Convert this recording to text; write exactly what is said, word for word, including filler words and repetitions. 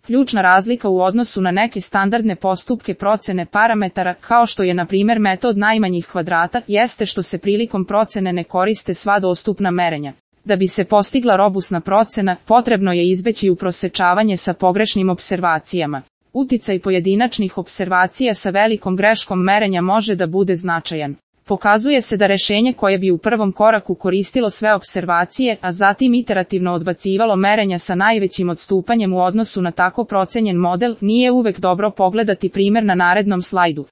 Ključna razlika u odnosu na neke standardne postupke procene parametara, kao što je na primjer metod najmanjih kvadrata, jeste što se prilikom procene ne koriste sva dostupna merenja. Da bi se postigla robusna procena, potrebno je izbeći uprosečavanje sa pogrešnim observacijama. Uticaj pojedinačnih observacija sa velikom greškom merenja može da bude značajan. Pokazuje se da rešenje koje bi u prvom koraku koristilo sve observacije, a zatim iterativno odbacivalo merenja sa najvećim odstupanjem u odnosu na tako procenjen model, nije uvek dobro. Pogledati primjer na narednom slajdu.